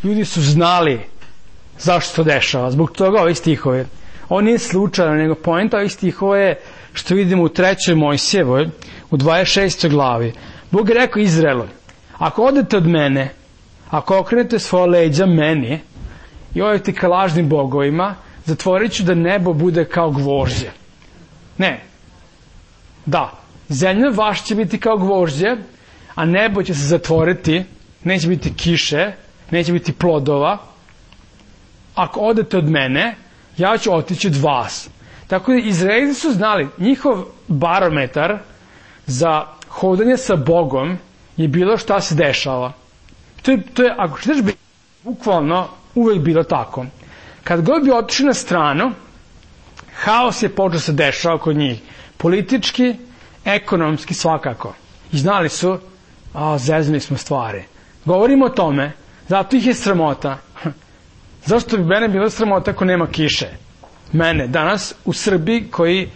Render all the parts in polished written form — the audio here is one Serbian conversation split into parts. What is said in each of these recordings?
Ljudi su znali zašto to dešava. Zbog toga ovi stihove. Ovo nije slučajno, nego poenta ovih stihova je što vidimo u 3. Mojsijevoj, u 26. glavi. Bog je rekao Izraelu, ako odete od mene, ako okrenete svoje leđa meni i odete ka lažnim bogovima, zatvorit ću da nebo bude kao gvožđe. Ne. Da. Zemlja vaša će biti kao gvožđe, a nebo će se zatvoriti, neće biti kiše, neće biti plodova. Ako odete od mene, ja ću otići od vas. Tako da Izraelci su znali, njihov barometar za hodanje sa Bogom je bilo šta se dešava. To je ako ćeš biti, bukvalno uvek bilo tako. Kad god bi otišli na stranu, haos je počeo se dešava kod njih. Politički, ekonomski, svakako. I znali su, zeznuli smo stvari. Govorimo o tome, zato ih je sramota. Zašto bi mene bilo sramota ako nema kiše? Mene, danas u Srbiji, koji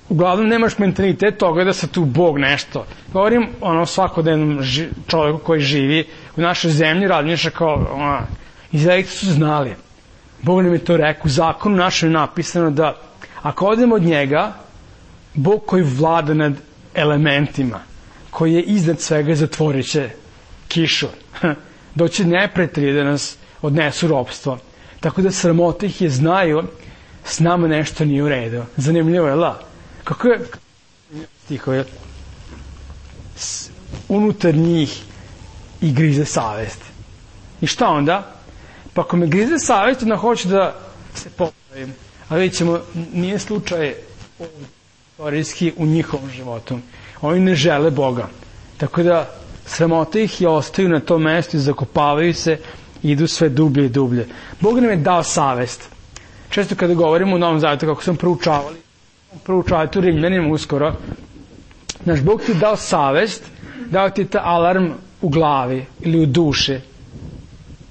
uglavnom nemaš mentalitet toga da se tu Bog nešto. Govorim svakodnevnom čovjeku koji živi u našoj zemlji, razmišlja kao, Izraelci su znali. Bog nam je to rekao, u zakonu našem je napisano da ako odemo od njega, Bog koji vlada nad elementima, koji je iznad svega, zatvorit će kišu. Doći neprijatelji da nas odnesu ropstvo. Tako da sramota ih je, znaju, s nama nešto nije u redu. Zanimljivo je, la? Kako je stihove? Unutar njih i grize savest. I šta onda? Pa ako me grize savest, onda hoće da se popravim. A vidjet ćemo, nije slučaj istorijski u njihovom životu. Oni ne žele Boga. Tako da sramota ih i ostaju na tom mestu i zakopavaju se i idu sve dublje i dublje. Bog nam je dao savest. Često kada govorimo u Novom Zavetu, kako sam proučavali tu Rimljanima uskoro, naš Bog ti je dao savest, dao ti je ta alarm u glavi ili u duši.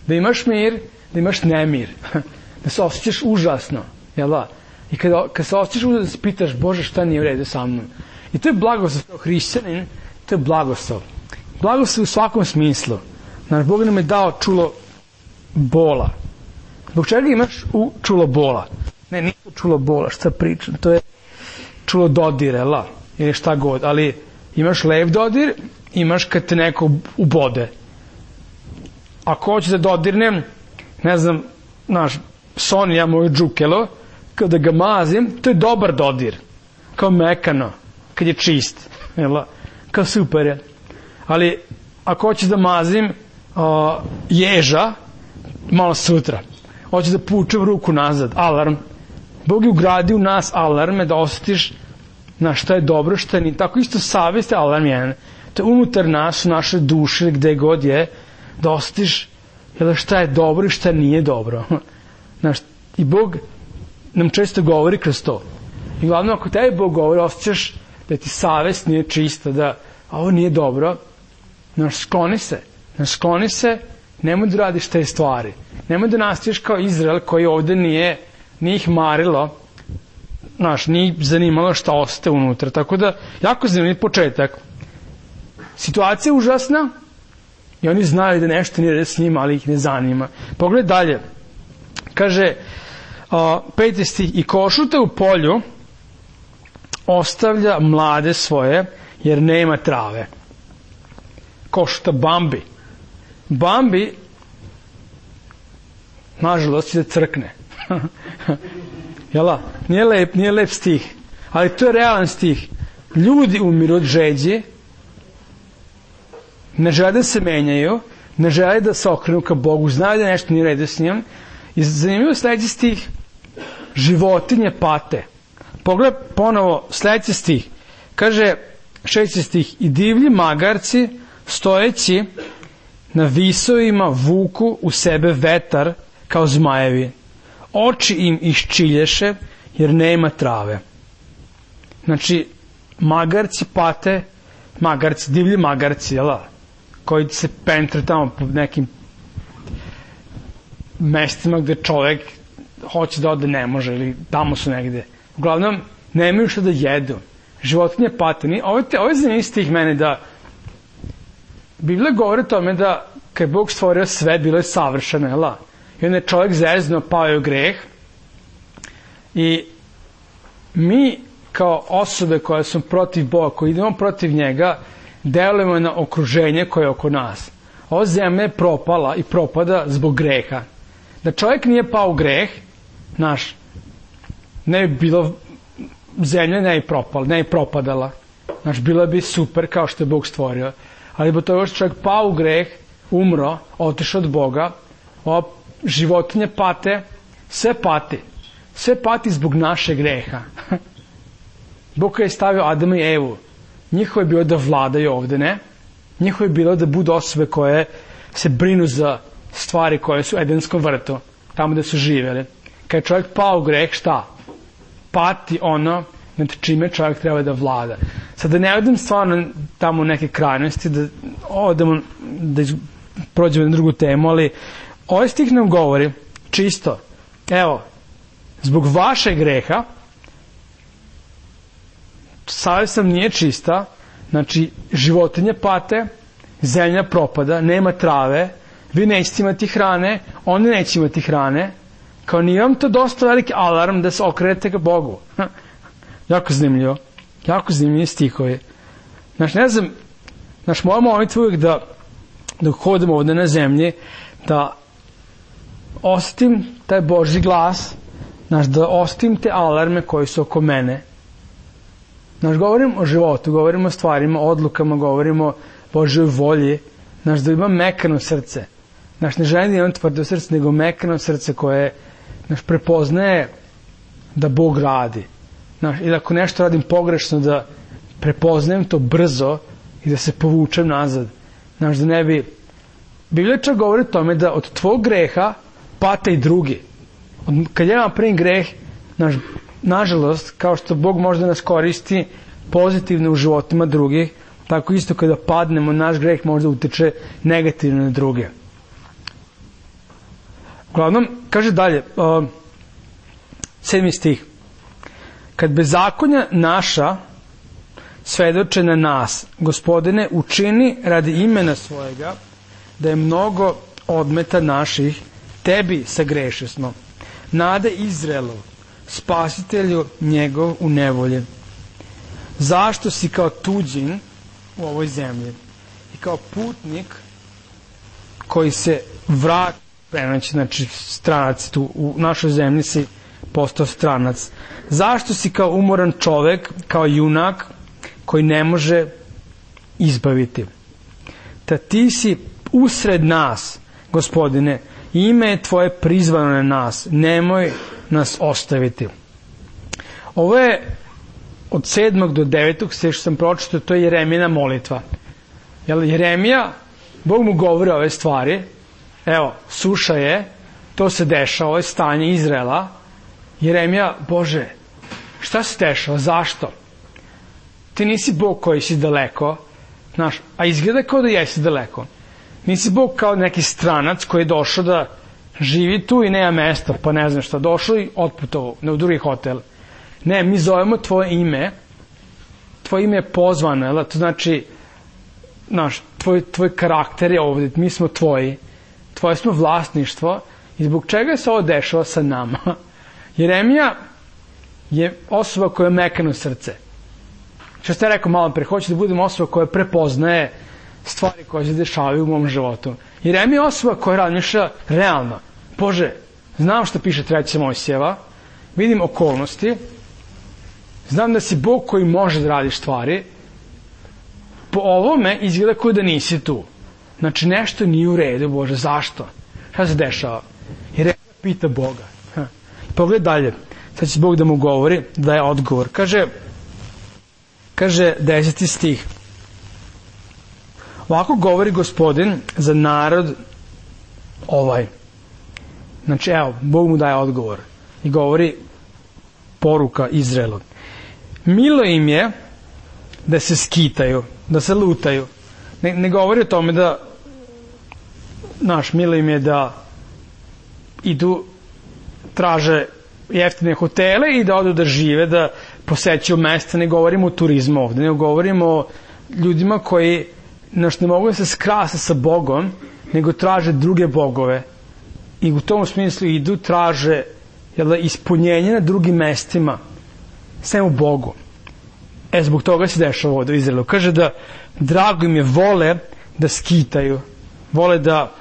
Da imaš mir, da imaš nemir. Da se osjećaš užasno. Jel da? I kada se osjećaš užasno, da se pitaš, Bože, šta nije u redu sa mnom? I to je blagoslov hrišćanin, to je blagoslov. Blagoslov u svakom smislu. Naš Bog nam je dao čulo bola. Zbog čega imaš čulo bola? Ne, nije čulo bola, šta pričam, to je čulo dodire, ili šta god, ali imaš lep dodir, imaš kad te neko ubode. Ako hoće da dodirnem, ne znam, Sonija, moju džukelo, kada ga mazim, to je dobar dodir, kao mekano, kad je čist, kao super je. Ali ako hoće da mazim ježa, malo sutra, hoće da pučem ruku nazad, alarm. Bog je ugradio u nas alarme da osjetiš na šta je dobro, šta nije. Tako isto savjest je alarm jedan. To je unutar nas, u našoj duši, gde god je, da osjetiš šta je dobro i šta nije dobro. I Bog nam često govori kroz to. I glavno, ako tebi Bog govori, osjećaš da ti savjest nije čista, da ovo nije dobro, skloni se, nemoj da radiš te stvari. Nemoj da nastaviš kao Izrael koji ovde nije ih marilo, nije zanimalo šta ostaje unutra. Tako da, jako zanimljiv početak. Situacija je užasna i oni znaju da nešto nije s njima, ali ih ne zanima. Pogledaj dalje. Kaže, 5. stih, i košuta u polju ostavlja mlade svoje, jer nema trave. Košuta Bambi. Bambi, nažalost, će da crkne. Jela? Nije lep stih. Ali to je realan stih. Ljudi umiru od žeđi, ne žele da se menjaju, ne žele da se okrenu ka Bogu, znaju da nešto nije u redu s njim. I zanimljivo sledeći stih, životinje pate. Pogledaj ponovo sledeći stih. Kaže, 6. stih, i divlji magarci stojeći na visovima vuku u sebe vetar kao zmajevi. Oči im iščilješe jer nema trave. Znači, magarci pate, divlji magarci, koji se pentre tamo po nekim mestima gde čovek hoće da ode, ne može, ili tamo su negde. Uglavnom, nemaju što da jedu. Životinje pate. Ovo je zanimljiv stih mene da Biblija govori o tome da kad je Bog stvorio sve, bilo je savršeno, jel? I onda je čovjek zeznuo, pao je u greh. I mi kao osobe koje su protiv Boga, koji idemo protiv njega, delujemo na okruženje koje je oko nas. Ova zemlja je propala i propada zbog greha. Da čovjek nije pao u greh, ne bi bilo zemlja, ne bi propadala. Bila bi super kao što je Bog stvorio. Ali bo to što čovjek pao u greh, umro, otišao od Boga, ova životinje pate, sve pati zbog naše greha. Bog je stavio Adama i Evu. Njihovo je bilo da vladaju ovde, ne? Njihovo je bilo da budu osobe koje se brinu za stvari koje su u Edenskom vrtu, tamo gde su živjeli. Kad je čovjek pao u greh, šta? Pati ono nad čime čovjek treba da vlada. Sad da ne odem stvarno tamo u neke krajnosti, da prođemo na drugu temu, ali ovaj stih nam govori čisto, evo, zbog vašeg greha, savjest nam nije čista, znači životinje pate, zemlja propada, nema trave, vi nećete imati hrane, oni neće imati hrane, kao nije vam to dosta veliki alarm da se okrenete ka Bogu. Jako zanimljivo. Jako zanimljivi stihovi. Ne znam, moja molitva uvijek da dok hodimo ovde na zemlji, da osjetim taj Božji glas, da osjetim te alarme koji su oko mene. Govorim o životu, govorim o stvarima, odlukama, govorim o Božjoj volji, da imam mekano srce. Ne želim da imam tvrdo srce, nego mekano srce koje prepoznaje da Bog radi. I da ako nešto radim pogrešno, da prepoznajem to brzo i da se povučem nazad. Da ne bi... Biblija čak govori o tome da od tvog greha pate i drugi. Kad ja napravim greh, nažalost, kao što Bog može da nas koristi pozitivno u životima drugih, tako isto kada padnemo, naš greh može da utiče negativno na druge. Uglavnom, kaže dalje, 7. stih. Kad bezakonja naša svedoče na nas, Gospodine, učini radi imena svojega da je mnogo odmeta naših, tebi sagreše smo. Nade Izraelov, spasitelju njegov u nevolji. Zašto si kao tuđin u ovoj zemlji i kao putnik koji se vrati, znači stranac tu u našoj zemlji si postao stranac. Zašto si kao umoran čovek, kao junak koji ne može izbaviti? Da ti si usred nas, Gospodine, ime je tvoje prizvano na nas, nemoj nas ostaviti. Ovo je od 7. do 9. sve što sam pročitao, to je Jeremijina molitva. Jeremija, Bog mu govori ove stvari, evo, suša je, to se dešava, ovo je stanje Izraela. Jeremija, Bože, šta se dešava, zašto? Ti nisi Bog koji si daleko, a izgleda kao da jesi daleko. Nisi Bog kao neki stranac koji je došao da živi tu i nema mesta, pa ne znam šta, došao i otputovao u drugi hotel. Ne, mi zovemo tvoje ime je pozvano, to znači, tvoj karakter je ovdje, mi smo tvoji, tvoje smo vlasništvo i zbog čega se ovo dešava sa nama? Jeremija je osoba koja je mekano srce. Što ste rekao malo pre, hoće da budem osoba koja prepoznaje stvari koje se dešavaju u mom životu. Jeremija je osoba koja razmišlja realno. Bože, znam što piše 3. Mojsijeva, vidim okolnosti, znam da si Bog koji može da radi stvari, po ovome izgleda kao da nisi tu. Znači nešto nije u redu, Bože, zašto? Šta se dešava? Jeremija pita Boga. Pogled dalje, sad će Bog da mu govori, da je odgovor. Kaže 10. stih. Ovako govori Gospodin za narod ovaj. Znači, evo, Bog mu daje odgovor i govori poruka Izraelu. Milo im je da se skitaju, da se lutaju. Ne govori o tome da, milo im je da idu, traže jeftine hotele i da odu da žive, da posećuju mesta. Ne govorimo o turizmu ovde, ne govorimo o ljudima koji ne mogu da se skrase sa Bogom, nego traže druge bogove i u tom smislu idu, traže ispunjenje na drugim mestima, sve u Bogu. Zbog toga se dešava ovdje u Izraelu. Kaže da drago im je, vole da skitaju, vole da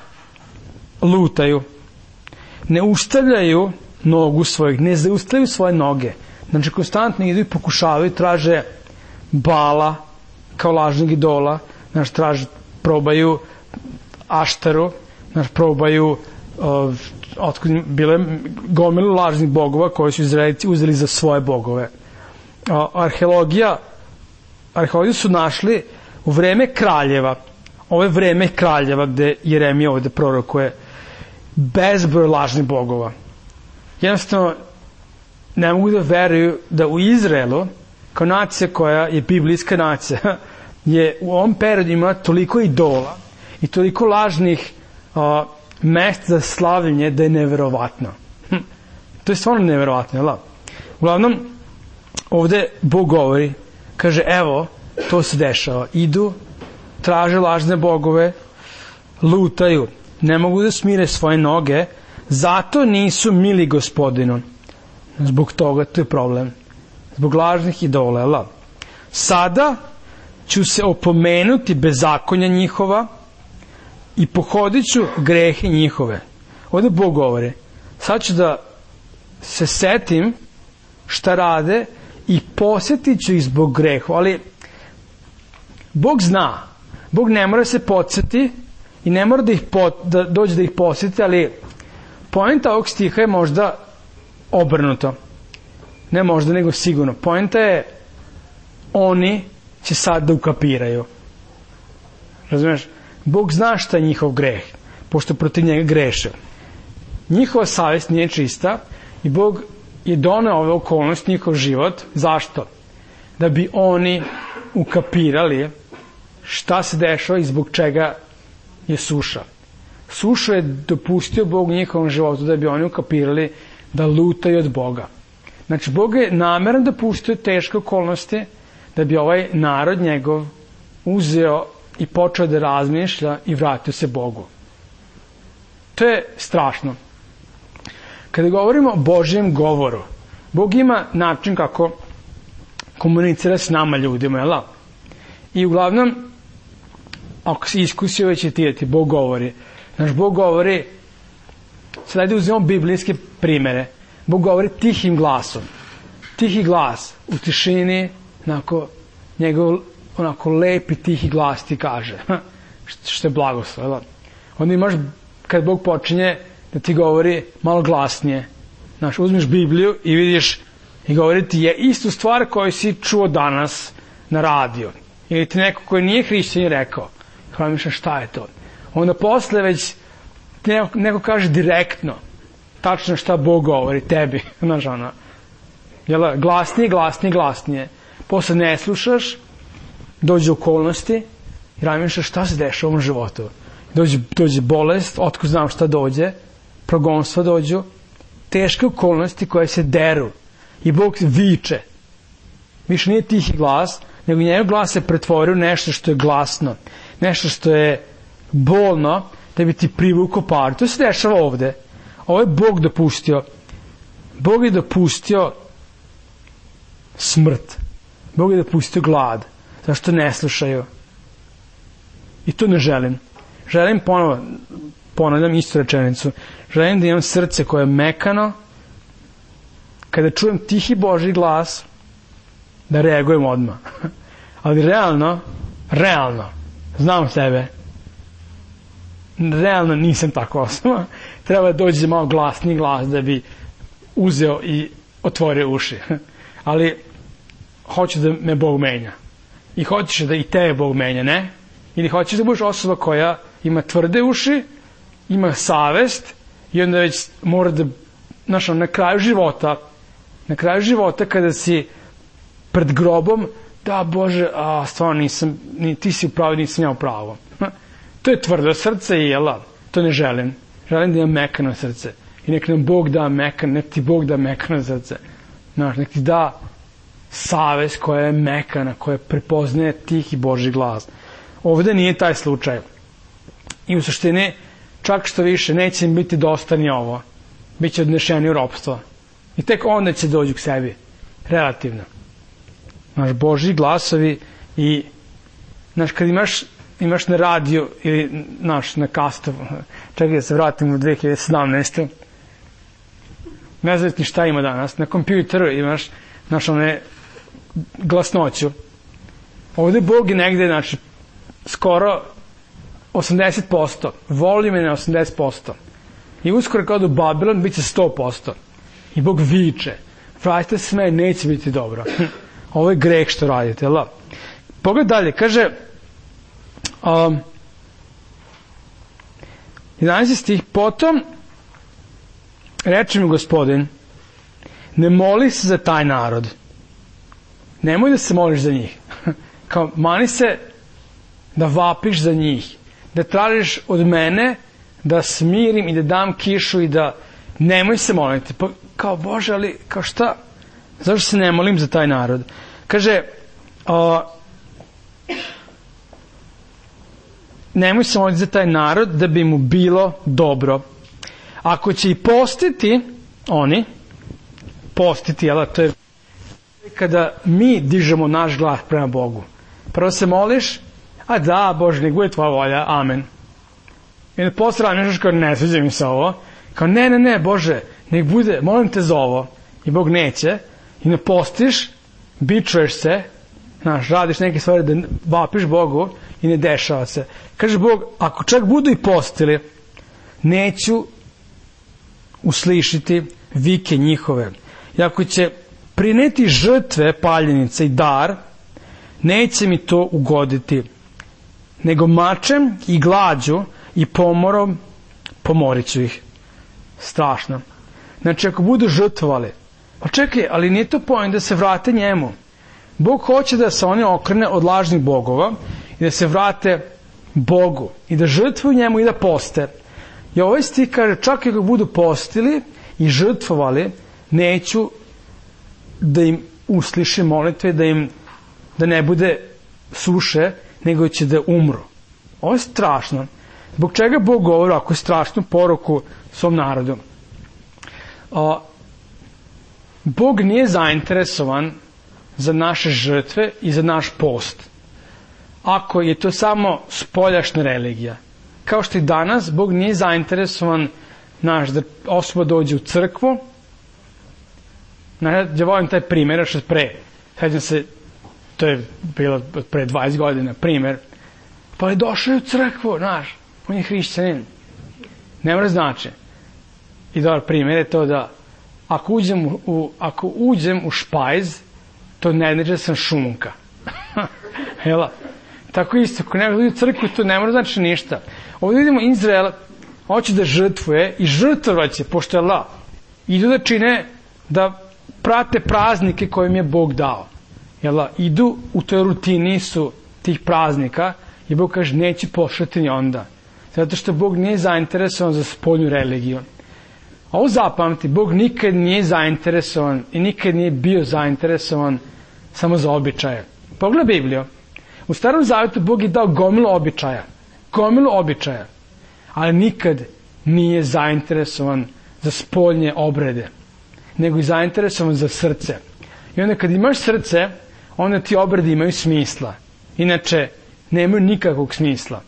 lutaju, ne ustavljaju nogu svojih, ne zaustavljaju svoje noge. Znači konstantno idu i pokušavaju, traže Bala kao lažnog idola, znači probaju Aštaru, znači probaju bile gomilu lažnih bogova koje su Izraelci uzeli za svoje bogove. Arheologiju su našli u vreme kraljeva. Ovo je vreme kraljeva gde Jeremija ovde prorokuje bezbroj lažnih bogova. Jednostavno ne mogu da veruju da u Izraelu, kao nacija koja je biblijska nacija, je u ovom periodu imala toliko idola i toliko lažnih mesta za slavljenje da je neverovatno. To je stvarno neverovatno, jel? Uglavnom, ovde Bog govori, kaže, evo, to se dešava. Idu, traže lažne bogove, lutaju, ne mogu da smire svoje noge, zato nisu mili Gospodinu. Zbog toga, to je problem. Zbog lažnih idola, jel? Sada ću se opomenuti bezakonja njihova i pohodit ću grehe njihove. Ovde Bog govori, sad ću da se setim šta rade i posjetit ću ih zbog grehu, ali Bog zna, Bog ne mora se podsjeti i ne mora da dođe da ih posjeti, ali poenta ovog stiha je možda obrnuto. Ne možda, nego sigurno. Poenta je, oni će sad da ukapiraju. Razumiješ? Bog zna šta je njihov greh, pošto protiv njega greše. Njihova savjest nije čista i Bog je doneo ove okolnosti, njihov život. Zašto? Da bi oni ukapirali šta se dešava i zbog čega je suša. Sušu je dopustio Bog u njihovom životu da bi oni ukapirali da lutaju od Boga. Znači, Bog je nameran dopustio teške okolnosti da bi ovaj narod njegov uzeo i počeo da razmišlja i vratio se Bogu. To je strašno. Kada govorimo o Božjem govoru, Bog ima način kako komunicira s nama ljudima, jel? I uglavnom, ako si iskusio već ti Bog govori. Znaš, Bog govori, sad ajde uzmemo biblijske primere, Bog govori tihim glasom. Tihi glas u tišini, njegov lepi tihi glas ti kaže, što je blagoslov. Onda imaš, kad Bog počinje da ti govori malo glasnije, znaš, uzmeš Bibliju i vidiš i govori ti je istu stvar koju si čuo danas na radio. Ili ti neko koji nije hrišćanin rekao, hvala mišljam šta je to. Onda posle već ti neko kaže direktno, tačno šta Bog govori tebi, znaš, glasnije. Posle ne slušaš, dođe okolnosti i razmišljaš šta se dešava u ovom životu. Dođe bolest, otko znam šta dođe, progonstva dođu, teške okolnosti koje se deru i Bog viče. Više nije tihi glas, nego njegov glas se pretvori u nešto što je glasno, nešto što je bolno, da bi ti privukao pažnju. To se dešava ovde. Ovo je Bog dopustio. Bog je dopustio smrt. Bog je dopustio glad. Zašto ne slušaju? I to ne želim. Želim ponavljam istu rečenicu. Želim da imam srce koje je mekano, kada čujem tihi Božji glas, da reagujem odmah. Ali realno, znam sebe, realno nisam tako osoba. Treba da dođe malo glasniji glas da bi uzeo i otvorio uši. Ali hoću da me Bog menja. I hoćeš da i tebe Bog menja, ne? Ili hoćeš da budeš osoba koja ima tvrde uši, ima savest i onda već mora da, znaš, na kraju života kada si pred grobom, da Bože, stvarno nisam, ti si u pravu, nisam ja u pravu. To je tvrdo srce i to ne želim. Želim da imam mekano srce. I nek nam Bog da mekano, nek ti Bog da mekano srce. Znaš, nek ti da savest koja je mekana, koja prepoznaje tihi Božji glas. Ovde nije taj slučaj. I u suštini, čak što više, neće im biti dosta ni ovo. Biće odnešeni u ropstvo. I tek onda će dođu k sebi. Relativno. Naš Božji glasovi i kad imaš na radiju ili na kastu, čekaj da se vratim u 2017. Ne znam ni šta ima danas. Na kompjuteru imaš one glasnoću. Ovde Bog je negde, skoro 80%. Volim je na 80%. I uskoro kad u Babilon bit će 100%. I Bog viče. Vratite se me, neće biti dobro. Ovo je greh što radite, jel? Pogled dalje, kaže 11. stih, potom reče mi Gospodin, ne moli se za taj narod. Nemoj da se moliš za njih. Kao, mani se da vapiš za njih. Da tražiš od mene da smirim i da dam kišu i da nemoj se moliti. Pa, kao, Bože, ali kao šta? Zašto se ne molim za taj narod? Kaže, nemoj se moliti za taj narod da bi mu bilo dobro. Ako će i postiti, jel, to je kada mi dižemo naš glas prema Bogu. Prvo se moliš, a da, Bože, nek bude tvoja volja, amen. I onda posle nešto kao, ne sviđa mi se ovo. Kao, ne, Bože, nek bude, molim te za ovo. I Bog neće. I ne postiš, bičuješ se, radiš neke stvari da vapiš Bogu i ne dešava se. Kaže Bog, ako čak budu i postili, neću uslišiti vike njihove. I ako će prineti žrtve, paljenice i dar, neće mi to ugoditi, nego mačem i glađu i pomorom pomorit ću ih. Strašno. Znači, ako budu žrtvovali, pa čekaj, ali nije to pojem da se vrate njemu. Bog hoće da se oni okrene od lažnih bogova i da se vrate Bogu i da žrtvuju njemu i da poste. I ovaj stih kaže, čak i ako budu postili i žrtvovali, neću da im uslišim molitve, da ne bude suše, nego će da umru. Ovo je strašno. Zbog čega Bog govori ako je strašnu poruku svom narodu? Bog nije zainteresovan za naše žrtve i za naš post. Ako je to samo spoljašna religija. Kao što i danas, Bog nije zainteresovan da osoba dođe u crkvu. Ja volim taj primjer, još sećam se, to je bilo pre 20 godina, primjer. Pa je došao u crkvu, on je hrišćanin. Ne mora znači. I dobar primjer je to da ako uđem u špajz, to ne znači da sam šunka. Jela? Tako isto, ako ne uđe u crkvu, to ne mora znači ništa. Ovdje vidimo Izrael, hoće da žrtvuje i žrtvovaće, pošto je Allah. Idu da čine, da prate praznike koje im je Bog dao. Jela? Idu u toj rutini su tih praznika i Bog kaže, neće pošati ni onda. Zato što Bog nije zainteresovan za spoljnu religiju. Ovo zapamti, Bog nikad nije zainteresovan i nikad nije bio zainteresovan samo za običaje. Pogledaj Bibliju. U Starom Zavetu Bog je dao gomilu običaja, ali nikad nije zainteresovan za spoljne obrede, nego je zainteresovan za srce. I onda kad imaš srce, onda ti obredi imaju smisla. Inače, nemaju nikakvog smisla.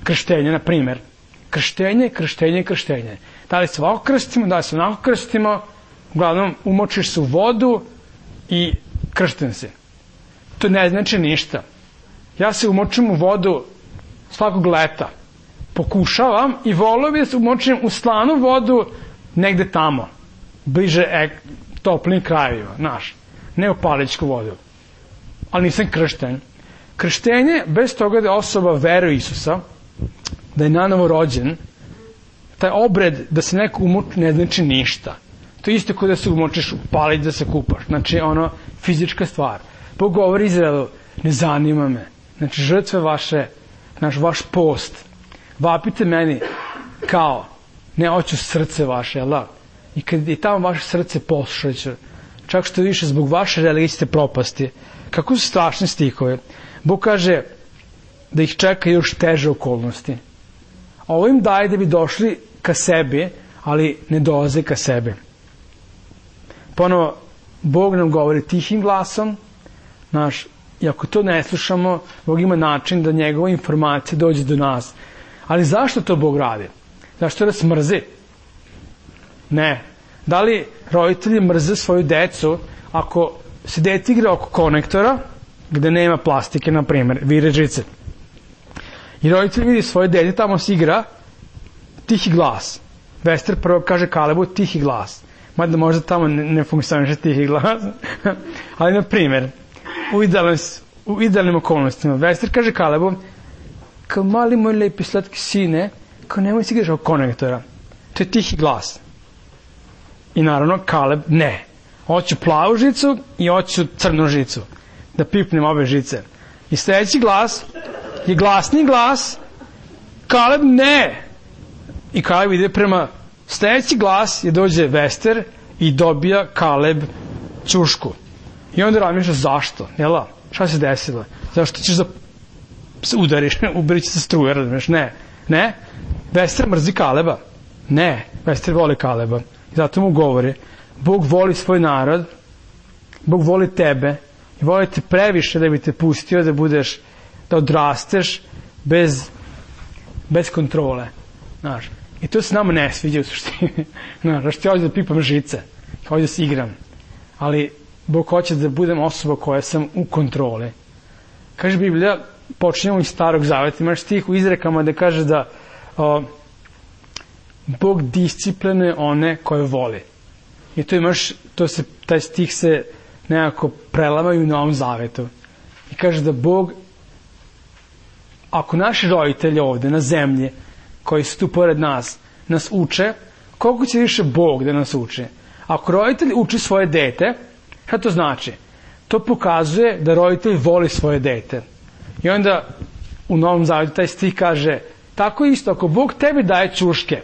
Krštenje, na primjer. Krštenje. Da li se ovako krstimo, da li se onako krstimo, uglavnom umočiš se u vodu i kršten si. To ne znači ništa. Ja se umočim u vodu svakog leta. Pokušavam i volio bi da se umočim u slanu vodu negde tamo, bliže toplim krajevima, ne u paličku vodu. Ali nisam kršten. Krštenje, bez toga da je osoba veruje Isusa, da je nanovo rođen, taj obred da se neko umoči ne znači ništa. To je isto kao da se umočiš u palić da se kupaš. Znači, fizička stvar. Bog govori Izraelu, ne zanima me. Znači, žrtve vaše, vaš post. Vapite meni kao, ne hoću srce vaše, Allah. I kad je tamo vaše srce poslušaće, čak što više zbog vaše religije ćete propasti. Kako su strašne stihove. Bog kaže, da ih čeka još teže okolnosti. Ovo im daje da bi došli ka sebi, ali ne dolaze ka sebi. Ponovo, Bog nam govori tihim glasom, i ako to ne slušamo, Bog ima način da njegova informacija dođe do nas. Ali zašto to Bog radi? Zašto nas mrzi? Ne. Da li roditelji mrze svoju decu ako se dete igra oko konektora, gde nema plastike, na primjer, vire žice. I roditelj vidi svoje dete, tamo se igra, tihi glas. Vester prvo kaže Kalebu tihi glas. Mada možda tamo ne funkcioniše tihi glas. Ali, na primjer, u idealnim okolnostima, Vester kaže Kalebu, kao mali moj lepi slatki sine, kao nemoj se igraš oko konektora. To je tihi glas. I naravno, Kaleb ne. Hoću plavu žicu i hoću crnu žicu. Da pipnem ove žice. I sljedeći glas je glasni glas. Kaleb ne. I Kaleb ide prema sljedeći glas je dođe Vester i dobija Kaleb ćušku. I onda razmišlja zašto? Jela? Šta se desilo? Zašto ćeš da se udariš? Uberići se struje, razumiješ? Ne. Vester mrzi Kaleba. Ne. Vester voli Kaleba. I zato mu govori, Bog voli svoj narod, Bog voli tebe i voli te previše da bi te pustio da odrasteš bez kontrole. Znaš. I to se nama ne sviđa u suštini. Znaš, ti hoću da pipam žice, hoću da se igram. Ali Bog hoće da budem osoba koja sam u kontroli. Kaže Biblija, počinjemo iz Starog Zaveta, imaš stih u Izrekama da kaže da Bog disciplinuje one koje voli. I taj stih se nekako prelamaju u Novom Zavetu. I kaže da Bog, ako naši roditelji ovde na zemlji, koji su tu pored nas uče, koliko će više Bog da nas uči? Ako roditelj uči svoje dete, šta to znači? To pokazuje da roditelj voli svoje dete. I onda u Novom Zavetu taj stih kaže, tako isto, ako Bog tebi daje ćuške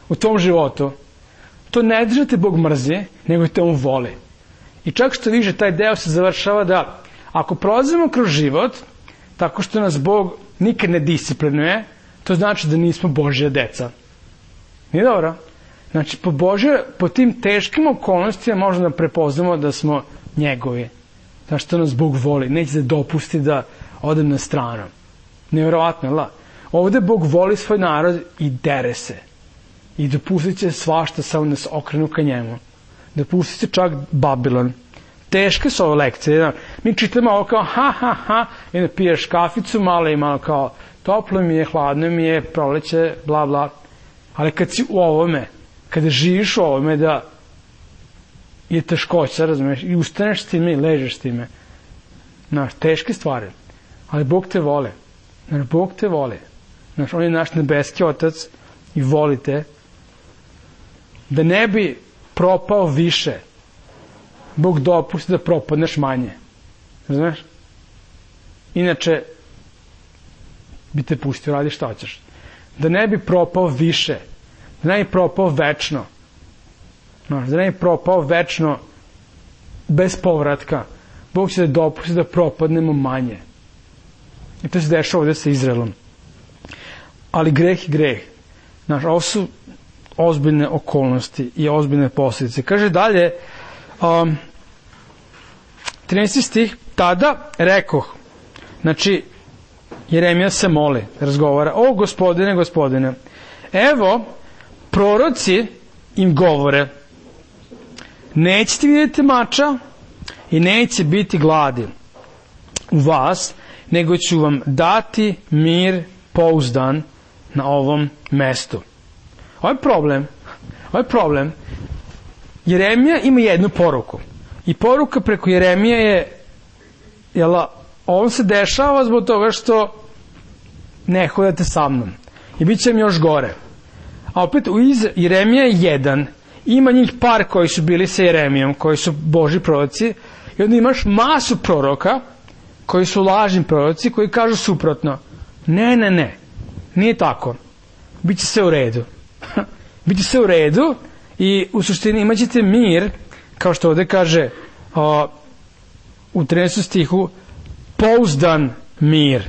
u tom životu, to ne drži te Bog mrzi, nego te on voli. I čak što više, taj deo se završava da ako prolazimo kroz život, tako što nas Bog nikad ne disciplinuje, to znači da nismo Božja deca. Nije dobro? Znači, po tim teškim okolnostima možemo da prepoznamo da smo njegovi. Znači, što nas Bog voli. Neće da dopusti da odem na stranu. Nevjerovatno, la? Ovde Bog voli svoj narod i dere se. I dopustit će svašta samo da se okrenu ka njemu. Dopustit će čak Babilon. Teške su ove lekcije. Mi čitamo ovo kao i da piješ kaficu malo i malo kao toplo mi je, hladno mi je, proleće, bla bla. Ali kad si u ovome, kada živiš u ovome da je teškoća, razumiješ, i ustaneš s time i ležeš s time. Znaš, teške stvari. Ali Bog te voli. Znaš, Bog te voli. Znaš, on je naš nebeski otac i voli te. Da ne bi propao više, Bog dopusti da propadneš manje. Znaš? Inače, bi te pustio, radi šta hoćeš. Da ne bi propao više, da ne bi propao večno. Znaš, da ne bi propao večno bez povratka. Bog će da dopusti da propadnemo manje. I to se dešava ovdje sa Izraelom. Ali greh je greh. Znaš, ovo su ozbiljne okolnosti i ozbiljne posljedice. Kaže dalje, 13. stih, tada rekoh, znači, Jeremija se moli, razgovara, o gospodine, gospodine, evo, proroci im govore, nećete vidjeti mača i neće biti gladi u vas, nego ću vam dati mir pouzdan na ovom mestu. Ovo je problem. Jeremija ima jednu poruku. I poruka preko Jeremije je, on se dešava zbog toga što ne hodate sa mnom. I bit će mi još gore. A opet, Jeremija je jedan. Ima njih par koji su bili sa Jeremijom, koji su Božji proroci. I onda imaš masu proroka, koji su lažni proroci, koji kažu suprotno. Ne. Nije tako. Biće sve u redu. Biće sve u redu i u suštini imat ćete mir, kao što ovdje kaže u 13. stihu, pouzdan mir.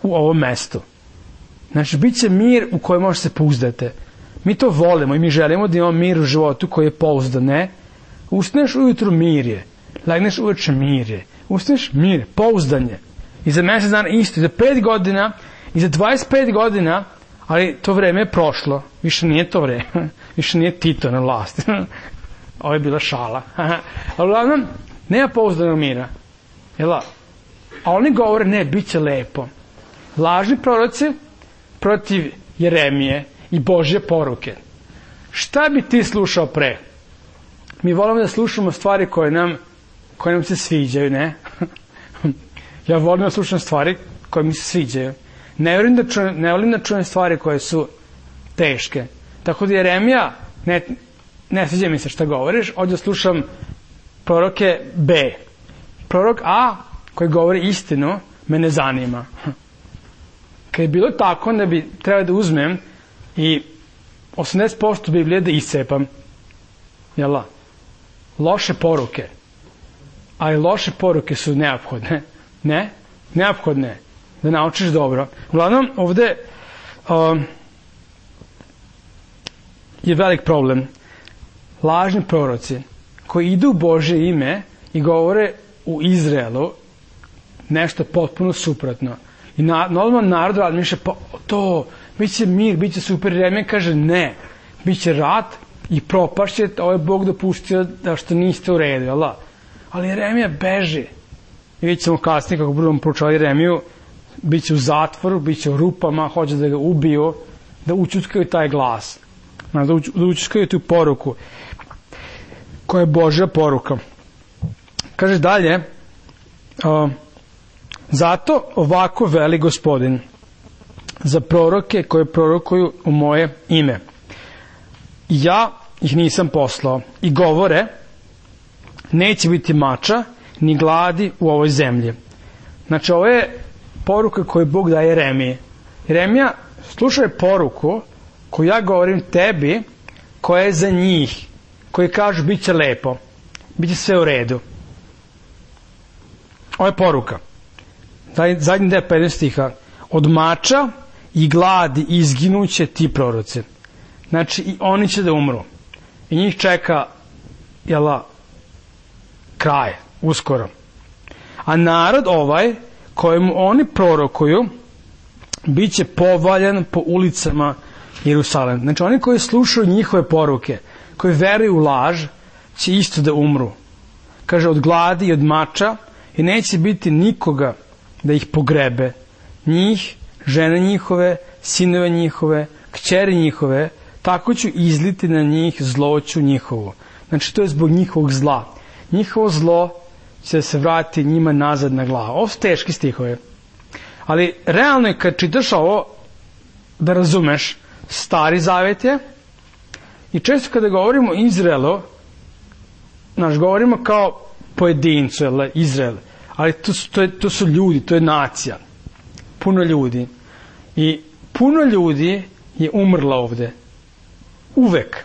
u ovom mestu. Znači, bit će mir u kojem možete se pouzdate. Mi to volimo i mi želimo da imamo mir u životu koji je pouzdan, ne? Ustaneš ujutru, mir je. Legneš uveče, mir je. Ustaneš, mir je, pouzdanje. I za mesec dana isto, i za 5 godina, i za 25 godina, ali to vreme je prošlo. Više nije to vreme. Više nije Tito na vlasti. Ovo je bila šala. Ali uglavnom, nema pouzdanog mira. Jel' a oni govore, ne, bit će lepo. Lažni proroci protiv Jeremije i Božje poruke. Šta bi ti slušao pre? Mi volimo da slušamo stvari koje nam se sviđaju, ne? Ja volim da slušam stvari koje mi se sviđaju. Ne volim da čujem stvari koje su teške. Tako da Jeremija, ne sviđa mi se šta govoriš, ovdje slušam proroke B. Prorok A, koji govori istinu, me ne zanima. Kad je bilo tako, onda bi trebao da uzmem i 80% Biblije da iscepam. Jel' loše poruke. Ali loše poruke su neophodne. Ne? Neophodne. Da naučiš dobro. Uglavnom, ovde je velik problem. Lažni proroci koji idu u Božje ime i govore u Izraelu nešto potpuno suprotno. I normalno narod razmišlja, pa to, bit će mir, bit će super. Jeremija kaže ne, bit će rat i propašće, ovo je Bog dopustio da što niste u redu, jel' da? Ali Jeremija beži. I vidjet ćemo kasnije kako budemo proučavali Jeremiju, bit će u zatvoru, bit će u rupama, hoće da ga ubiju, da učutkaju taj glas, da učutkaju tu poruku, koja je Božja poruka. Kaže dalje, zato ovako veli Gospodin za proroke koje prorokuju u moje ime. Ja ih nisam poslao i govore, neće biti mača ni gladi u ovoj zemlji. Znači, ovo je poruka koju Bog daje Jeremiji. Jeremija, slušaj poruku koju ja govorim tebi, koja je za njih, koji kažu bit će lepo, bit će sve u redu. Ovo je poruka. Zadnji deo 15 stiha. Od mača i gladi izginuće ti proroci. Znači, i oni će da umru. I njih čeka, kraj, uskoro. A narod ovaj, kojemu oni prorokuju, bit će povaljan po ulicama Jerusalema. Znači, oni koji slušaju njihove poruke, koji veruju u laž, će isto da umru. Kaže, od gladi i od mača, i neće biti nikoga da ih pogrebe. Njih, žene njihove, sinove njihove, kćeri njihove, tako ću izliti na njih zloću njihovu. Znači, to je zbog njihovog zla. Njihovo zlo će se vratiti njima nazad na glavu. Ovo su teški stihove. Ali realno je kad čitaš ovo, da razumeš, Stari Zavet je, i često kada govorimo o Izraelu, govorimo kao pojedincu, Izrael, ali to su ljudi, to je nacija. Puno ljudi. I puno ljudi je umrlo ovde. Uvek.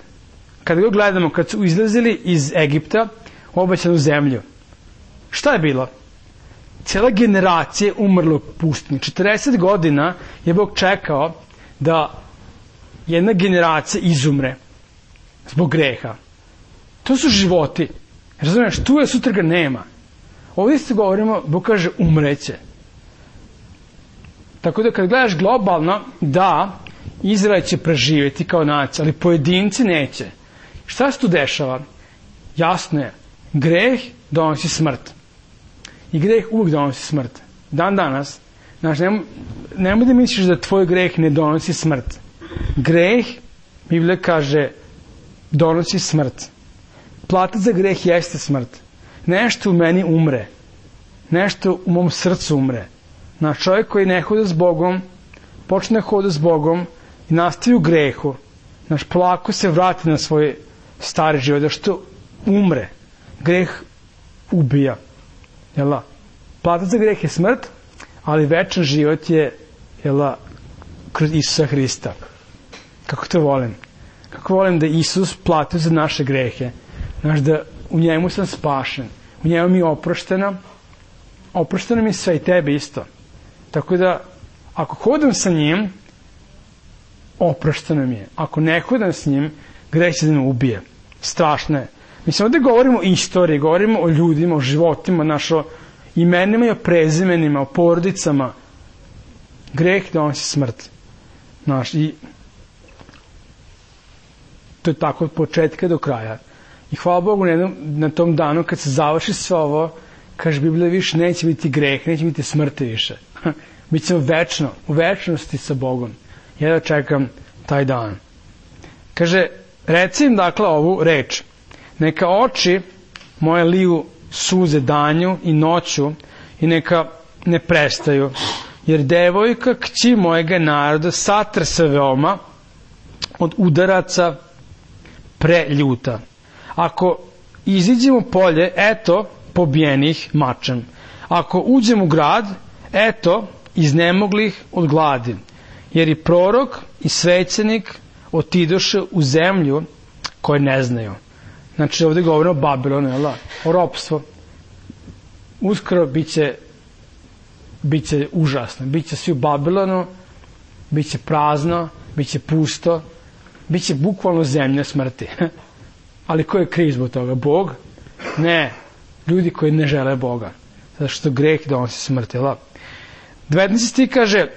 Kada ga gledamo, kad su izlazili iz Egipta u obećanu zemlju, šta je bilo? Cijela generacija je umrla u pustinji. 40 godina je Bog čekao da jedna generacija izumre zbog greha. To su životi. Razumiješ, tu je, sutra ga nema. Ovdje se govorimo, Bog kaže umreće. Tako da kad gledaš globalno, da, Izrael će preživjeti kao nacija, ali pojedinci neće. Šta se tu dešava? Jasno je, greh donosi smrt. I greh uvijek donosi smrt. Dan danas, znači, nemoj da misliš da tvoj greh ne donosi smrt. Greh, Biblija kaže, donosi smrt. Plata za greh jeste smrt. Nešto u meni umre. Nešto u mom srcu umre. Znači, čovjek koji ne hoda s Bogom, počne hoda s Bogom i nastavi u grehu. Znači, polako se vrati na svoj stari život, da što umre. Greh ubija. Jel' plata za greh je smrt, ali večan život je, kroz Isusa Hrista. Kako to volim? Kako volim da Isus platio za naše grehe. Znači, da u njemu sam spašen. U njemu mi je oprošteno mi sve i tebi isto. Tako da, ako hodam sa njim, oprošteno mi je. Ako ne hodam s njim, greh će da me ubije. Strašno je. Mislim, ovdje govorimo o istoriji, govorimo o ljudima, o životima, o imenima i o prezimenima, o porodicama. Greh donosi smrt. I to je tako od početka do kraja. I hvala Bogu na tom danu kad se završi sve ovo, kaže Biblija, više neće biti greh, neće biti smrti više. Bićemo večno, u večnosti sa Bogom. Ja da čekam taj dan. Kaže, reci im dakle ovu reč. Neka oči moje liju suze danju i noću i neka ne prestaju. Jer devojka kći mojega naroda satrse veoma od udaraca preljuta. Ako iziđem u polje, eto, pobijenih mačem. Ako uđem u grad, eto, iznemoglih od gladi. Jer i prorok i svećenik otidoše u zemlju koje ne znaju. Znači, ovdje govorimo o Babilonu, o ropstvu. Uskoro biće užasno. Biće svi u Babilonu, biće prazno, biće pusto, biće bukvalno zemlja smrti. Ali ko je kriv zbog toga? Bog? Ne. Ljudi koji ne žele Boga. Zato što greh donosi smrt. 19. stih kaže,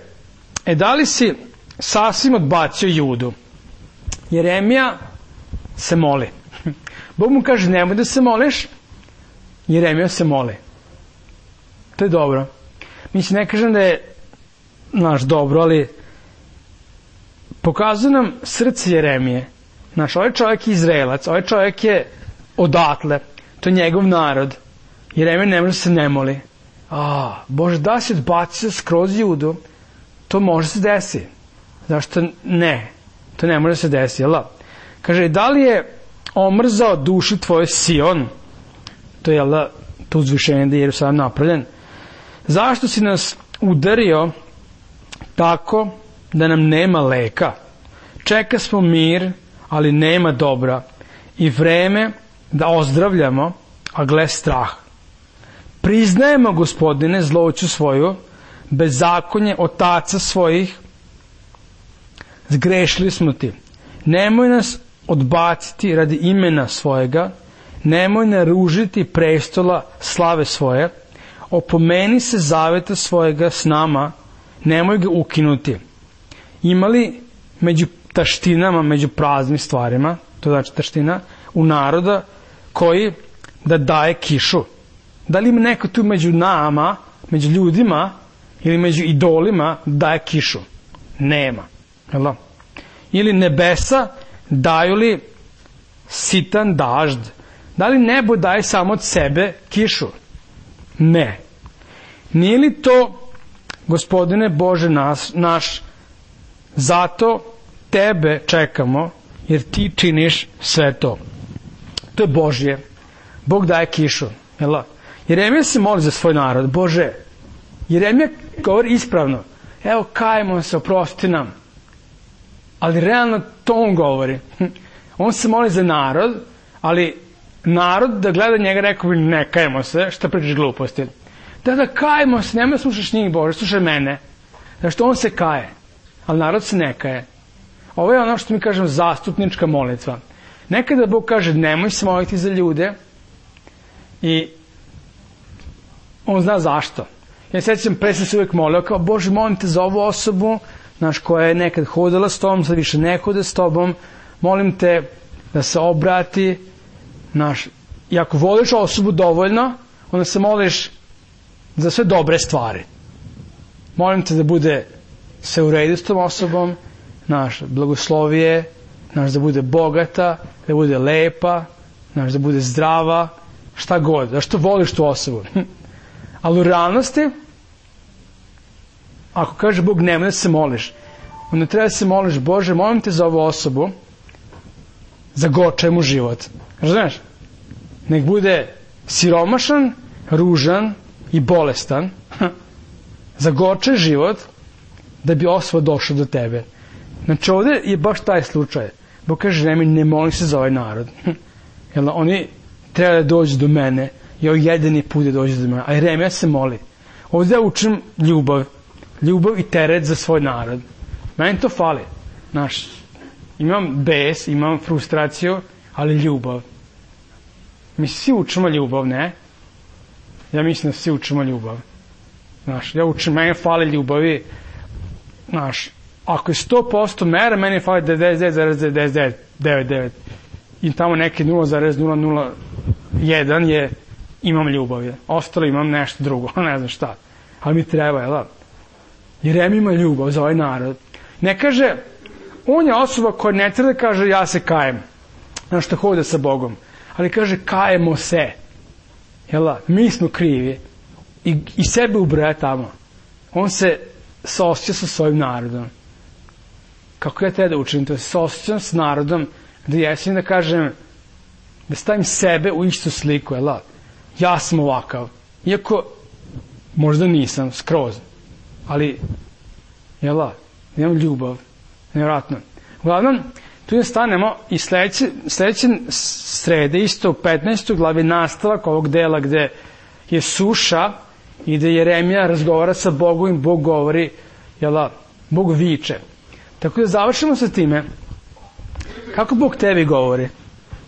da li si sasvim odbacio Judu? Jeremija se moli. Bog mu kaže, nemoj da se moliš. Jeremija se moli. To je dobro. Mislim, ne kažem da je dobro, ali pokazuje nam srce Jeremije. Ovaj čovjek je Izraelac, ovaj čovjek je odatle, to je njegov narod. Jeremija ne može da se ne moli. Bože, da si odbacio skroz Judu, to može se desi. Zašto ne? To ne može se desi, jel da? Kaže, da li je omrzao duši tvoje Sion? To je, jel da, to uzvišenje da je Jerusalim napravljen. Zašto si nas udario tako da nam nema leka? Čeka smo mir, ali nema dobra, i vreme da ozdravljamo, a gle strah. Priznajemo, Gospodine, zloću svoju, bezakonje otaca svojih, zgrešili smo ti. Nemoj nas odbaciti radi imena svojega, nemoj naružiti prestola slave svoje, opomeni se zaveta svojega s nama, nemoj ga ukinuti. Imali među taštinama, među praznim stvarima, to znači taština, u naroda koji da daje kišu. Da li ima neko tu među nama, među ljudima ili među idolima daje kišu? Nema. Ili nebesa daju li sitan dažd? Da li nebo daje samo od sebe kišu? Ne. Nije li to, Gospodine Bože naš, zato tebe čekamo, jer ti činiš sve to. To je Božje. Bog daje kišu. Jeremija se moli za svoj narod. Bože, Jeremija govori ispravno. Evo, kajmo se, oprosti nam. Ali realno to on govori. On se moli za narod, ali narod da gleda njega rekao bi, ne kajmo se, šta pričaš gluposti. Da kajmo se, nemoj slušaš njih, Bože, slušaj mene. Zašto on se kaje, ali narod se ne kaje. Ovo je ono što mi kažemo zastupnička molitva. Nekada Bog kaže, nemoj se moliti za ljude i on zna zašto. Ja sećam, pre sam se uvijek molio, kao, Bože, molim te za ovu osobu, koja je nekad hodala s tobom, sad više ne hode s tobom, molim te da se obrati, i ako voliš osobu dovoljno, onda se moliš za sve dobre stvari. Molim te da bude sve u redu s tom osobom, blagoslovije, da bude bogata, da bude lepa, da bude zdrava, šta god, zašto voliš tu osobu. Ali u realnosti, ako kaže Bog nemoj da se moliš, onda treba da se moliš, Bože, molim te za ovu osobu, zagorčaj mu život. Razumiješ? Nek bude siromašan, ružan i bolestan, zagorčaj život, da bi osoba došla do tebe. Znači ovdje je baš taj slučaj. Bog kaže, ne molim se za ovaj narod. Oni treba da dođu do mene i ovaj jedini put da dođu do mene. A Jeremija se moli. Ovdje ja učim ljubav. ljubav i teret za svoj narod. Meni to fali. Znaš, imam bes, imam frustraciju, ali ljubav. Mi svi učimo ljubav, ne? Ja mislim da svi učimo ljubav. Znaš, ja učim, meni fali ljubavi. Znaš, ako je 100% mera, meni fali 99,99. I tamo neki 0,001 je imam ljubav. Ostalo imam nešto drugo, ne znam šta. Ali mi treba, jel? Jer ima ljubav za ovaj narod. Ne kaže, on je osoba koja ne treba da kaže ja se kajem. Znaš što hode sa Bogom. Ali kaže kajemo se. Jel? Mi smo krivi. I sebe ubraja tamo. On se saosjeća sa svojim narodom. Kako ja treba da učim to? Saosjećam s narodom da jesam da kažem, da stavim sebe u istu sliku. Jel? Ja sam ovakav. Iako možda nisam skroz. Ali jel? Imam ljubav. Nevjerojatno. Uglavnom, tu je stanemo i sledeće srede, isto u 15. glavi, nastavak ovog dela gde je suša i gde Jeremija razgovara sa Bogom i Bog govori, jel, Bog viče. Tako da završimo sa time, kako Bog tebi govori?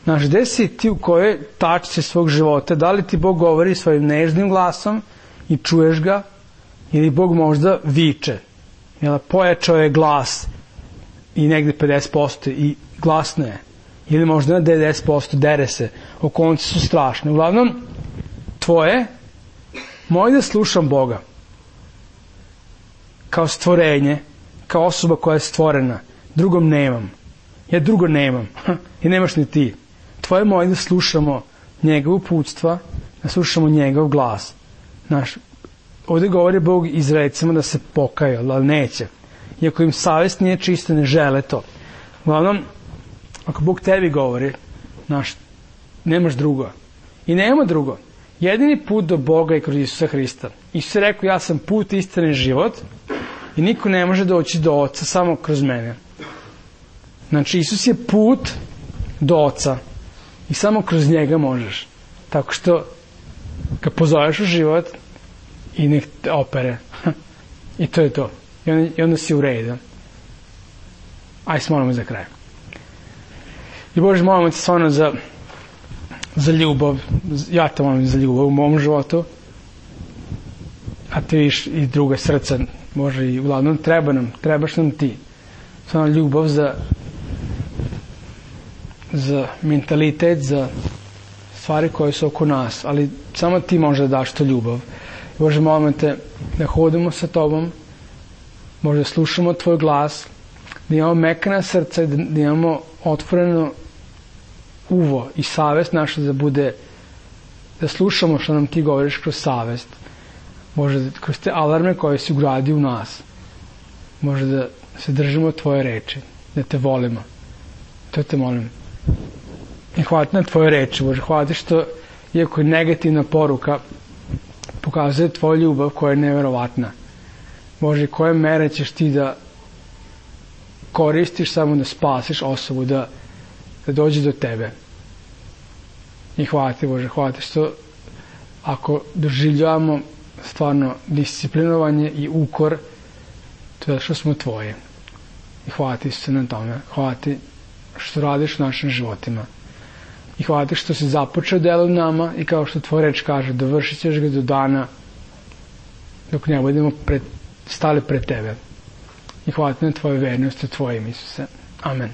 Znaš, gde si ti u kojoj tačci svog života? Da li ti Bog govori svojim nežnim glasom i čuješ ga? Ili Bog možda viče? Jel, pojačao je glas i negde 50% i glasno je. Ili možda na 90% dere se. Okolnice su strašne. Uglavnom, tvoje, moj da slušam Boga kao stvorenje, kao osoba koja je stvorena. Drugom nemam. Ja drugo nemam. I nemaš ni ti. Tvoje moj da slušamo njegov uputstva, da slušamo njegov glas. Znaš, ovdje govori Bog Izraelcima da se pokaju, ali neće. Iako im savjest nije čista, ne žele to. Uglavnom, ako Bog tebi govori, znaš, nemaš drugo. I nema drugo. Jedini put do Boga je kroz Isusa Hrista. Isus je rekao, ja sam put, istina i život i niko ne može doći do Oca samo kroz mene. Znači, Isus je put do Oca i samo kroz njega možeš. Tako što ga pozoveš u život i nek te opere. I to je to. I onda si u redu. Aj se molimo za kraj. I Bože, molimo te stvarno za ljubav. Ja te molim za ljubav u mom životu. A ti viš i druga srca. Bože, i uglavnom trebaš nam ti. Stvarno ljubav za mentalitet, za stvari koje su oko nas. Ali samo ti može da daš to ljubav. Bože, molimo te da hodimo sa tobom, Bože, da slušamo tvoj glas, da imamo mekana srca i da imamo otvoreno uvo i savest naša da bude, da slušamo što nam ti govoriš kroz savest. Bože, kroz te alarme koje si ugradio u nas. Bože, da se držimo tvoje reči, da te volimo. To te molim. I hvala ti na tvoje reči, Bože, hvala ti što, iako je negativna poruka, pokazuje tvoju ljubav koja je neverovatna. Bože, koje mere ćeš ti da koristiš samo da spasiš osobu, da dođe do tebe. I hvala ti, Bože, hvala ti što ako doživljavamo stvarno disciplinovanje i ukor, to je što smo tvoji. I hvala ti se na tome. Hvala ti što radiš u našim životima. I hvala ti što si započeo delo u nama i kao što tvoj reč kaže, dovršit ćeš ga do dana dok ne budemo stali pred tebe. I hvala ti na tvoju vernost i tvojim, Isuse. Amen.